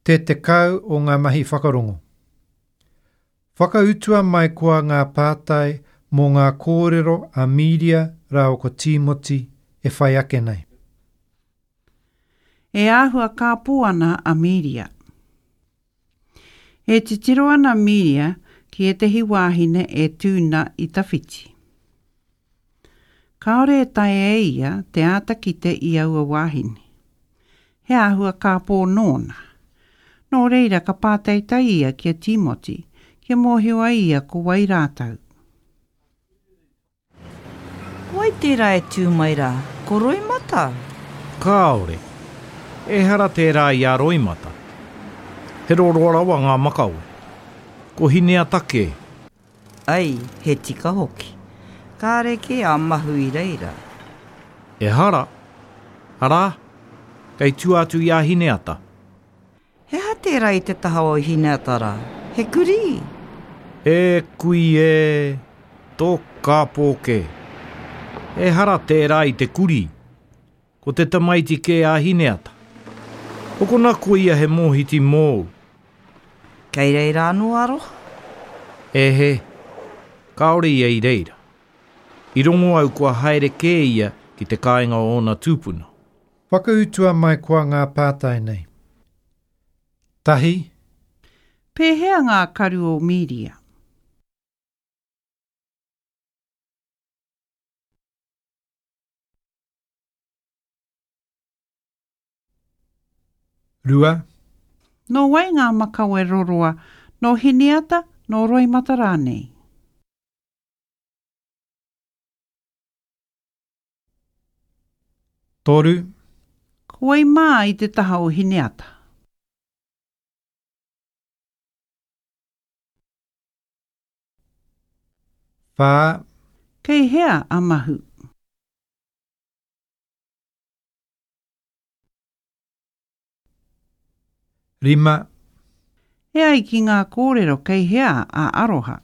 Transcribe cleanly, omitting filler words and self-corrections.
Te 10 o ngā mahi whakarongo. Whakautua mai koa ngā pātai mō ngā kōrero a Mīria rāua ko Tīmoti e whai ake nei. E āhua kāpō ana a Mīria. E titiro ana Mīria ki ētehi wāhine e tū na i tawhiti. Kāore e taea e ia te āta kite i aua wāhine. He āhua kāpō nōna. Nō reira ka pātaitai ia ki a Tīmoti, kia mōhio ai ia ko wai rātou. Ko wai tērā e tū mai rā? Ko Roimata? Kāore. Ehara tērā i a Roimata. He roroa rawa ngā makawe. Ko Hineata kē. Ai, he tika hoki. Kāre kē a Mahu i reira. Ehara. Arā, kei tua atu i a Hineata. He aha tērā i te taha o Hineata rā? He kurī? E kui e, tō kāpō kē. Ehara tērā i te kurī. Ko te tamaiti kē a Hineata. Hokona koia he mōhiti mōu. Kei reira anō a Aroha? E he, kāore ia i reira. I rongo au kua haere kē ia ki te kāinga o ōna tūpuna. Whakautua mai koa ngā pātai nei. Tahi. Pēhea ngā karu o Mīria? 2. Nō wai ngā makawe roroa, nō Hineata, nō Roimata rānei? 3. Ko wai mā i te taha o Hineata? 4. Kei hea a Mahu? 5. E ai ki ngā kōrero kei hea a Aroha?